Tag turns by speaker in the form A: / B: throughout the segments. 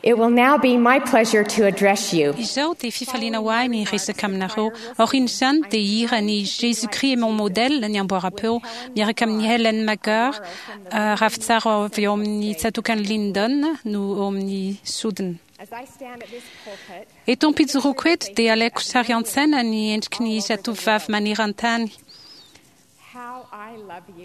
A: It will now be my pleasure to address you.
B: Izao dia fifaliana ho ahy ny hiresaka aminareo. Aorian'izany dia hihira ny Jésus-Christ est mon modèle ny amboaram-peo, miaraka amin'i Helen McGarr, ravintsara avy ao amin'ny tsatòkan'i Lyndon no eo amin'ny sodina. Eto am-pijoroako eto dia alaiko sary an-tsaina ny endriky ny zatovovavy maneran-tany.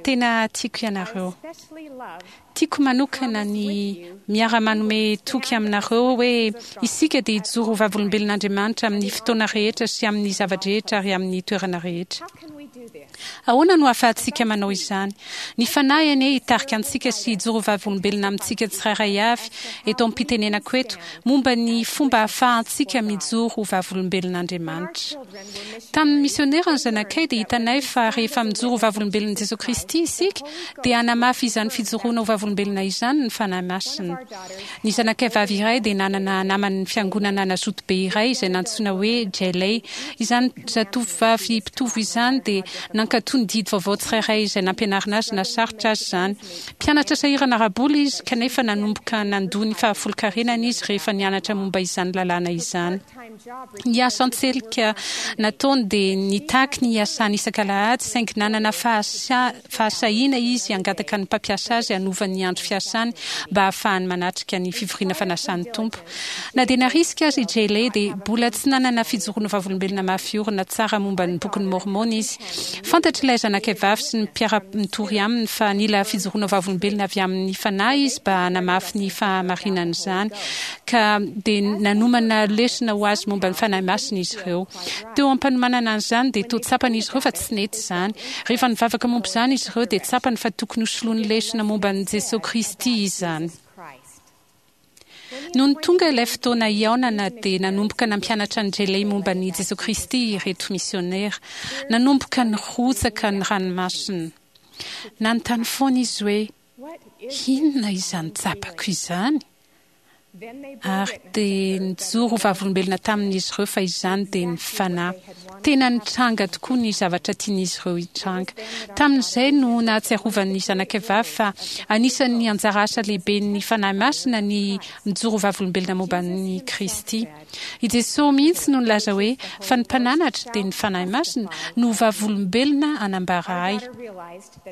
B: Tena tiako ianareo. Tiako manokana ny miara-manome toky aminareo hoe isika dia hijoro ho vavolombelon'Andriamanitra amin'ny fotoana rehetra sy amin'ny zava-drehetra ary amin'ny toerana rehetra. Ahoana no ahafahantsika manao izany? Ny Fanahy anie hitarika antsika sy hijoro ho vavolombelona amintsika tsirairay avy eto am-pitenenako eto momba ny fomba ahafahantsika mijoro ho vavolombelon'Andriamanitra. Tamin'ny misionera ny zanakay dia hitanay fa rehefa mijoro ho vavolombelon'i Jesoa Kristy isika dia hanamafy izany fijoroana ho vavolombelona izany ny Fanahy Masina. Ny zanakay vavy iray dia nanana naman'ny fiangonana nazoto be iray izay nantsoina hoe Jayley. Izany zatovovavy mpitovo izany dia nankatò ny didy vaovao tsirairay izay nampianarina azy na sarotra aza izany. Mpianatra sahirana ara-bola izy kanefa nanomboka nandoa ny fahafolonkarenany izy rehefa nianatra momba izany lalàna izany. Ny asa an-tselika nataony dia nitaky ny hiasany isak'alahady, saingy nanana fahasahiana izy hangataka ny mpampiasa azy hanova ny andro fiasany mba hahafahany manatrika ny fivoriana fanasan'ny Tompo. Na dia narisika aza i Jayley dia mbola tsy nanana fijoroana vavolombelona mafy orina tsara momba ny Bokin'i Môrmôna izy. Fantatr'ilay zanakay vavy sy ny mpiara-mitory aminy fa nila fijoroana vavolombelona avy amin'ny Fanahy izy mba hanamafy ny fahamarinan'izany, ka dia nanomana lesona ho azy momba ny Fanahy Masina izy ireo. Teo am-panomanana an'izany dia toa tsapan'izy ireo fa tsy nety izany. Rehefa nivavaka momba izany izy ireo dia tsapany fa tokony hosoloany lesona momba an'i Jesoa Kristy izany. Nony tonga ilay fotoana hihaonana dia nanomboka nampianatra an'i Jeley momba an'i Jesoa Kristy ireto misiônera. Nanomboka nirotsaka ny ranomasina. Nanontany foana izy hoe, Inona izany tsapako izany? Ary dia nijoro ho vavolombelona tamin'izy ireo fa izany dia ny Fanahy. Tena nitranga tokoa ny zavatra tian'izy ireo hitranga. Tamin'izay no nahatsiarovan'ny zanakay vavy fa anisan'ny anjara asa lehiben'ny Fanahy Masina ny mijoro ho vavolombelona momba an'i Kristy. I Jesoa mihitsy no nilaza hoe, Fa ny Mpananatra, dia ny Fanahy Masina, no ho vavolombelona hanambara Ahy.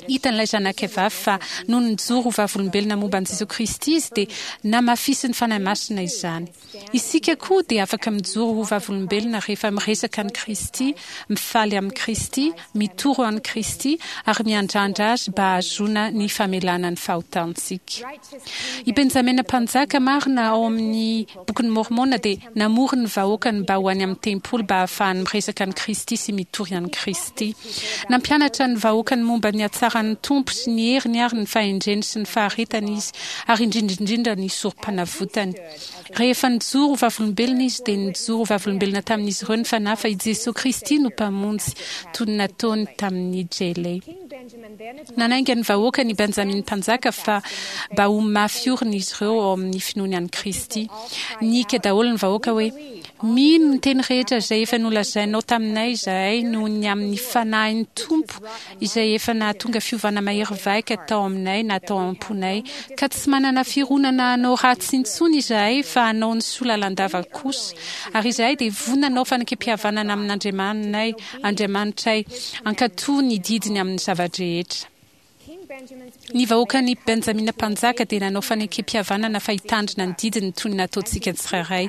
B: Hitan'ilay zanakay vavy fa nony nijoro ho vavolombelona momba an'i Jesoa Kristy izy dia namafisin'ny Fanahy Masina izany. Isika koa dia afaka mijoro ho vavolombelona rehefa miresaka an'i Kristy, mifaly amin'i Kristy, mitoro an'i Kristy, ary miandrandra Azy mba hahazoana ny famelana ny fahotantsika. I Benjamina Mpanjaka marina ao amin'ny Bokin'i Môrmôna dia namory ny vahoakany mba ho any amin'ny tempoly mba hahafahany miresaka an'i Kristy sy mitory an'i Kristy. Nampianatra ny vahoakany momba ny hatsaran'ny Tompo sy ny heriny ary ny fahendreny sy ny faharetany izy, ary indrindra indrindra ny sorompanavotany. Rehefa nijoro ho vavolombelona izy, dia nijoro ho vavolombelona tamin'izy ireo ny Fanahy fa i Jesoa Kristy no Mpamonjy, toy ny nataony tamin'i Jele. Nanainga ny vahoakany i Benjamina Mpanjaka fa mba ho mafy orina izy ireo ao amin'ny finoany an'i Kristy. Nihiaka daholo ny vahoaka hoe, Mino ny teny rehetra izay efa nolazainao taminay izahay noho ny amin'ny Fanahin'ny Tompo izay efa nahatonga fiovana mahery vaika tao aminay na tao am-ponay, ka tsy manana fironana hanao ratsy intsony izahay fa hanao ny soa lalandava kosa, ary izahay dia vonona hanao fanekempihavanana amin'Andriamaninay, Andriamanitray, hankatò ny didiny amin'ny zava-drehetra. Ny vahoakan'i Benjamina Mpanjaka dia nanao fanekempihavanana fa hitandrina ny didiny toy ny nataontsika tsirairay.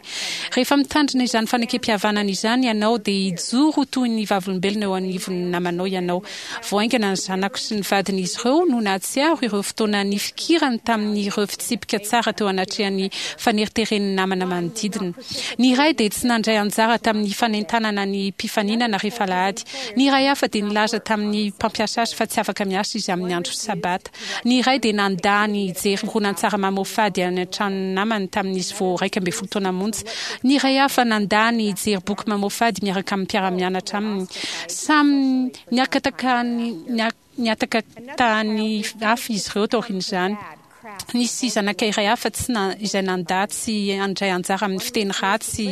B: Rehefa mitandrina izany fanekempihavanana izany ianao dia hijoro ho toy ny vavolombelona eo anivon'ny namanao ianao. Vao haingana ny zanako sy ny vadin'izy ireo no nahatsiaro ireo fotoana nifikirany tamin'ireo fitsipika tsara teo anatrehan'ny faneriteren'ny namana manodidina. Ny iray dia tsy nandray anjara tamin'ny fanentanana ny mpifaninana rehefa alahady. Ny iray hafa dia nilaza tamin'ny mpampiasa azy fa tsy afaka miasa izy amin'ny andro Sabata. Ny iray dia nandà ny hijery horonantsary mamoafady any an-tranon'ny namany tamin'izy vao 11 taona monja. Ny iray hafa nandà ny hijery boky mamoafady miaraka amin'ny mpiara-mianatra aminy. Samy niakataka nihataka tany hafa izy ireo taorian'izany. Nisy zanakay iray hafa tsy na, izay nandà tsy handray anjara amin'ny fiteny ratsy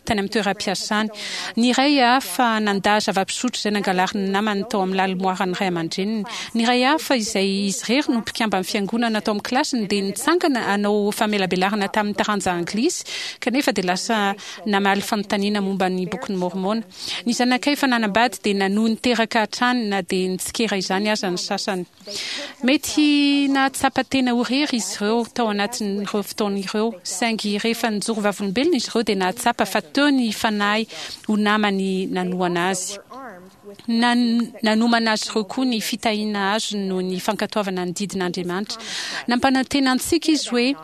B: tany amin'ny toeram-piasany. Ny iray hafa nandà zava-pisotro izay nangalarin'ny namany tao amin'ny lalimoaran'ny ray aman-dreniny. Ny iray hafa izay izy irery no mpikamban'ny fiangonana tao amin'ny kilasiny dia nitsangana hanao famelabelarana tamin'ny taranja anglisy kanefa dia lasa namaly fanontaniana momba ny Bokin'i Môrmôna. Ny zanakay efa nanambady dia nanohy niteraka hatrany na dia nitsikera izany aza ny sasany. Mety nahatsapa tena ho irery izy ireo tao anatin'ireo fotoana ireo, saingy rehefa nijoro vavolombelona izy ireo dia nahatsapa fa teo ny Fanahy ho namany nanohana azy. Nanomana azy ireo koa ny fitahiana azony noho ny fankatoavana ny didin'Andriamanitra. Nampanantena antsika Izy hoe,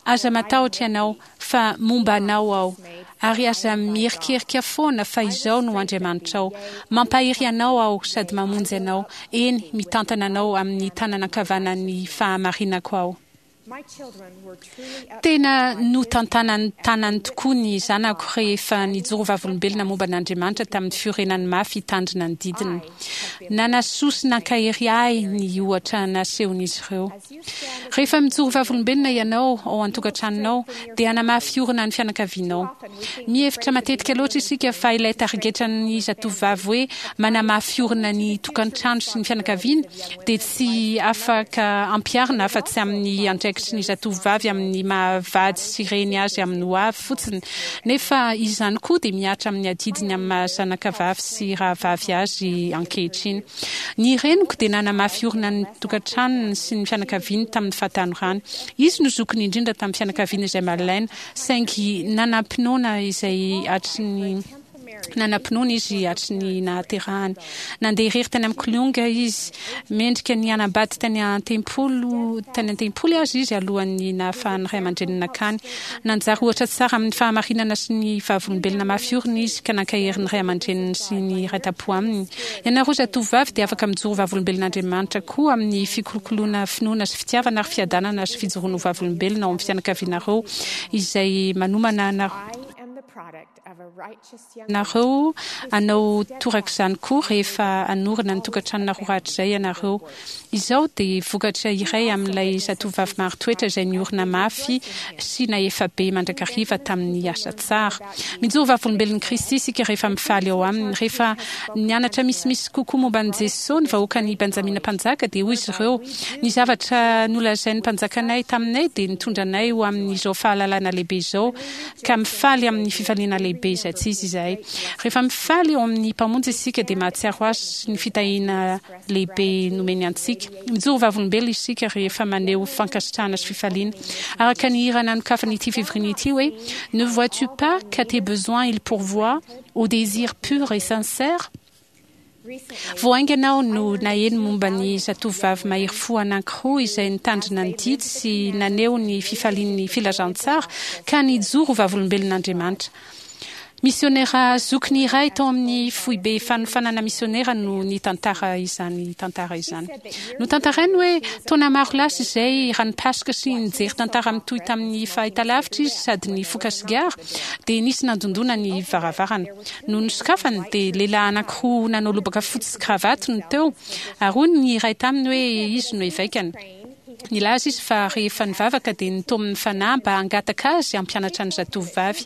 B: Aza matahotra ianao, fa momba anao Aho, ary aza miherikerika foana, fa Izaho no Andriamanitrao. Mampahery anao Aho sady mamonjy anao, eny, mitantana anao amin'ny tanana ankavanan'ny fahamarinako Aho. Tena notantanan'ny tanany tokoa ny zanako rehefa nijoro vavolombelona momba an'Andriamanitra tamin'ny fiorenany mafy hitandrina ny didiny. Nanasoa sy nankahery ahy ny ohatra nasehon'izy ireo. Rehefa mijoro vavolombelona ianao ao an-tokantranonao, dia hanamafy orina ny fianakavianao. Mihevitra matetika loatra isika fa ilay tarigetran'ny zatovovavy hoe manamafy orina ny tokantrano sy ny fianakaviana dia tsy afaka ampiharina afa-tsy amin'ny andraikitry ny zatovovavy amin'ny maha vady sy reny azy amin'ny ho avy fotsiny, nefa izany koa dia mihatra amin'ny adidiny amin'ny maha zanakavavy sy rahavavy azy ankehitriny. Ny reniko dia nanamafy orina ny tokantranony sy ny fianakaviany tamin'ny fahatanorany. Izy no zokiny indrindra tamin'ny fianakaviana izay malaina, saingy nanam-pinoana izay hatry ny nanam-pinoana izy hatry ny nahaterahany. Nandeha irery tany amin'ny Kilonga izy. Mendrika ny hanambady tany an-tempoly tany an-tempoly aza izy alohan'ny nahafahan'ny ray aman-dreniny nankany. Nanjary ohatra tsara amin'ny fahamarinana sy ny vavolombelona mafy orina izy, ka nankahery ny ray aman-dreniny sy ny iray tampo aminy. Ianareo zatovovavy dia afaka mijoro vavolombelon'Andriamanitra koa amin'ny fikolokoloana finoana sy fitiavana ary fiadanana sy fijoroana ho vavolombelona ao amin'ny fianakavianareo izay manomana anareo hanao torak'izany koa rehefa hanorina ny tokantranonareo rahatrizay ianareo. Izao dia vokatra iray amin'ilay zatovovavy marin-toetra izay niorina mafy sy nahefa be mandrakariva tamin'ny asa tsara. Mijoro vavolombelon'i Kristy isika rehefa mifaly ao Aminy. Rehefa nianatra misimisy kokoa momba an'i Jesoa ny vahoakan'i Benjamina Mpanjaka dia hoy izy ireo, Ny zavatra nolazain'ny mpanjakanay taminay dia nitondra anay ho amin'izao fahalalana lehibe izao, ka mifaly amin'ny fifaliana lehibe izay tsy izy izahay. Rehefa mifaly ao amin'ny Mpamonjy isika dia mahatsiaro Azy sy ny fitahiana lehibe nomeny antsika. Mijoro vavolombelona isika rehefa maneho fankasitrahana sy fifaliana. Araka ny hira nanokafana ity fivoriana ity hoe, Ne vois-tu pas qu'à tes besoins il pourvoit, aux désirs purs et sincères? Vao haingana aho no naheno momba ny zatovovavy mahery fo anankiroa izay nitandrina ny didy sy naneho ny fifalian'ny filazantsara ka nijoro ho vavolombelon'Andriamanitra. Misionera zokiny iray tao amin'ny foibe fanofanana misionera no nitantara izany tantara izany. Notantarainy hoe taona maro lasa izay, raha nipasoka sy nijery tantara mitohy tamin'ny fahitalavitra izy sady nifoka sigara, dia nisy nandondona ny varavarana. Nony nosokafany, dia lehilahy anankiroa nanao lobaka fotsy sy kravaty no teo, ary hoy ny iray taminy hoe izy no evekany. Nilaza izy fa rehefa nivavaka dia nitaomin'ny Fanahy mba hangataka azy hampianatra ny zatovovavy.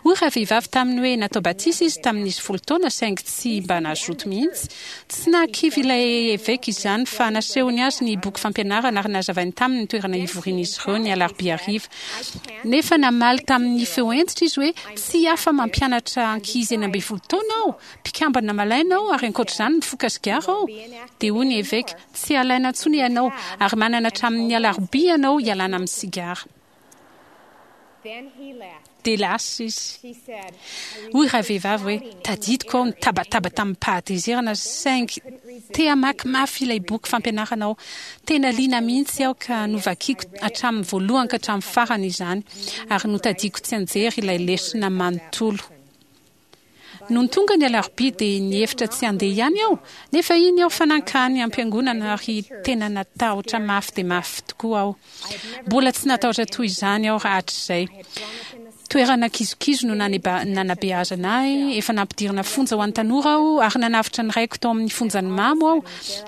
B: Hoy ravehivavy taminy hoe natao batisa izy tamin'izy folo taona saingy tsy mba nazoto mihitsy. Tsy nahakivy ilay eveka izany fa nasehony azy ny boky fampianarana ary nazavainy taminy ny toerana hivorian'izy ireo ny alarobia hariva. Nefa namaly tamin'ny feo hentitra izy hoe, Tsy afa-mampianatra ankizy 16 taona aho, mpikambana malaina aho ary ankoatr'izany mifoka sigara aho. Dia hoy ny eveka, Tsy alaina intsony ianao, ary manana hatramin'ny alarobia ianao hialana amin'ny sigara. Dia lasa izy. Hoy ravehivavy hoe, Tadidiko aho nitabataba tamim-pahatezerana, saingy te hamaky mafy ilay boky fampianarana aho. Tena liana mihitsy aho ka novakiko hatramin'ny voalohany ka hatramin'ny farany izany, ary notadiako tsianjery ilay lesona manontolo. Nony tonga ny alarobia dia nihevitra tsy handeha ihany aho, nefa iny aho fa nankany am-piangonana ary tena natahotra mafy dia mafy tokoa aho. Mbola tsy natahotra toy izany aho hatrizay. Toerana kizokizo no nanabeazana ahy, efa nampidirina fonja ho an'ny tanora aho ary nanavotra ny raiko tao amin'ny fonjan'ny mamo aho,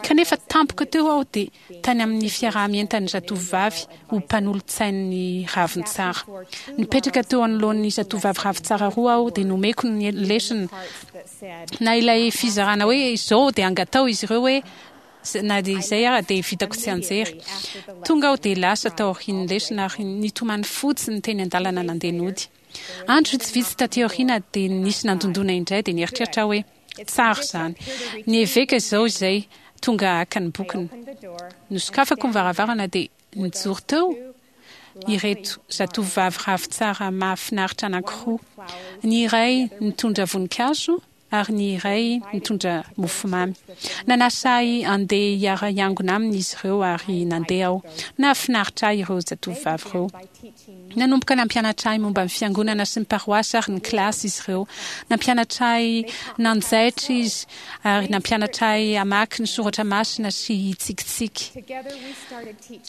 B: kanefa tampoka teo aho dia tany amin'ny fiaraha-mientan'ny zatovovavy ho mpanolotsain'ny ravintsara. Nipetraka teo anoloan'ny zatovovavy ravintsara roa aho dia nomeko ny lesona na ilay fizarana hoe izao dia angataho izy ireo hoe Na dia izay ara dia vitako tsianjery. Tonga aho dia lasa taorian'ny lesona ary nitomany fotsiny teny an-dalana nandeha nody. Andro vitsivitsy taty aoriana dia nisy nandondona indray dia nieritreritra aho hoe, Tsara izany. Ny eveka izao izay tonga haka ny bokiny. Nosokafako ny varavarana dia nijoro teo ireto zatovovavy ravintsara mahafinaritra anankiroa. Ny iray nitondra voninkazo ary ny iray nitondra mofomamy. Nanasa ahy handeha hiara-hiangona aminy izy ireo ary nandeha aho. Nahafinaritra ahy ireo zatovovavy ireo. Nanomboka nampianatra ahy momba ny fiangonana sy ny paroasy ary ny kilasy izy ireo. Nampianatra ahy nanjaitra izy ary nampianatra ahy hamaky ny soratra masina sy hitsikitsiky.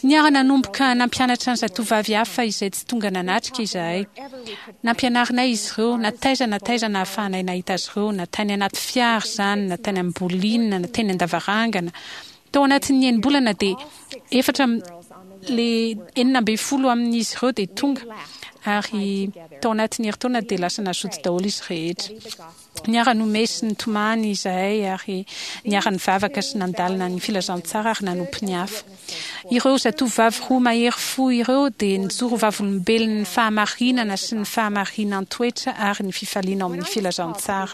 B: Niara-nanomboka nampianatra ny zatovovavy hafa izay tsy tonga nanatrika izahay. Nampianarinay izy ireo na taiza na taiza nahafahanay nahita azy ireo, na tany anaty fiara izany, na tany am-bolina, na teny an-davarangana. Tao anatin'ny enim-bolana dia efatra le 16 amin'izy ireo dia tonga, ary tao anatin'ny herintaona dia lasa nazoto daholo izy rehetra. Niara-nomehy sy nitomany izahay ary niara-nivavaka sy nandalina ny filazantsara ary nanompo ny hafa. Ireo zatovovavy roa mahery fo ireo dia nijoro ho vavolombelon'ny fahamarinana sy ny fahamarinan-toetra ary ny fifaliana ao amin'ny filazantsara.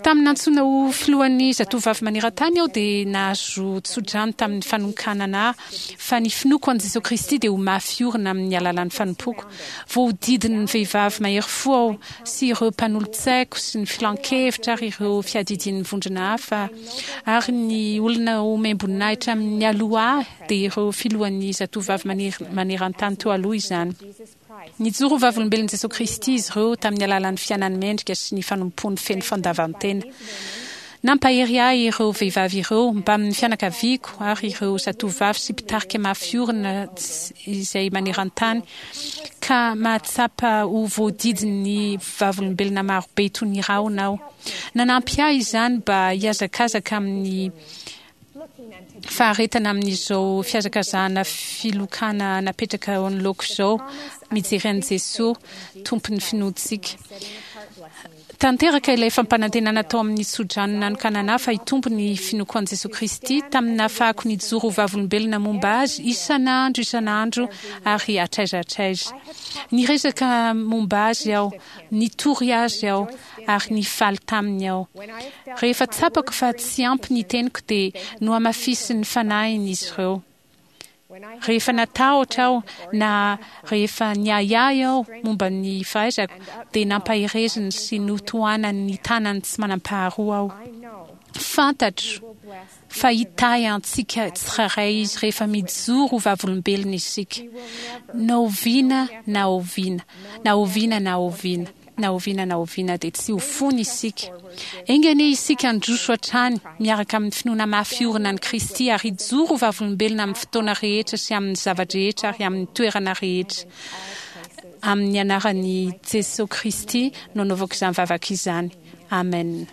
B: Tamin'ny nantsoina ho filohan'ny Zatovovavy Maneran-tany aho dia nahazo tsodrano tamin'ny fanonkanana ahy fa ny finoako an'i Jesoa Kristy dia ho mafy orina amin'ny alalan'ny fanompoako. Voahodidin'ny vehivavy mahery fo aho sy ireo mpanolotsaiko sy ny filan-kevitra ary ireo fiadidian'ny vondrona hafa ary ny olona omem-boninahitra mialoha ahy dia ireo filohan'ny Zatovovavy Maneran-tany teo aloha izany. Nijoro ho vavolombelon'i Jesoa Kristy izy ireo tamin'ny alalan'ny fiainany mendrika sy ny fanompoany feno fandavan-tena. Nampahery ahy ireo vehivavy ireo, mbamin'ny fianakaviako ary ireo zatovovavy sy mpitarika mafy orina izay maneran-tany, ka mahatsapa ho voadidin'ny vavolombelona marobe toy ny rahona aho. Nanampy ahy izany mba hihazakazaka amin'ny faharetana amin'izao fihazakazahana filokana napetraka eo anoloako izao, mijery an'i Jesoa, Tompon'ny finoantsika. Tanteraka ilay fampanantenana tao amin'ny tsodrano nanokanana ahy fa hitombo ny finoako an'i Jesoa Kristy, tamin'ny nahafahako nijoro ho vavolombelona momba Azy isan'andro isan'andro ary hatraiza hatraiza. Niresaka momba Azy aho, nitory Azy aho, ary nifaly taminy aho. Rehefa tsapako fa tsy ampy ny teniko dia nohamafisin'ny fanahiny izy ireo. Rehefa natahotra aho na rehefa niahiahy aho momba ny fahaizako dia nampahereziny sy notohanany ny tanany tsy manam-paharoa aho. Fantatro fa hitahy antsika tsirairay Izy rehefa mijoro ho vavolombelony isika. Na oviana na oviana, na oviana na oviana. Na oviana na oviana dia tsy ho foana isika. Enga anie isika handroso hatrany miaraka amin'ny finoana mafy orina an'i Kristy ary hijoro ho vavolombelona amin'ny fotoana rehetra sy amin'ny zava-drehetra ary amin'ny toerana rehetra. Amin'ny anaran'i Jesoa Kristy no anaovako izany vavaka izany. Amen.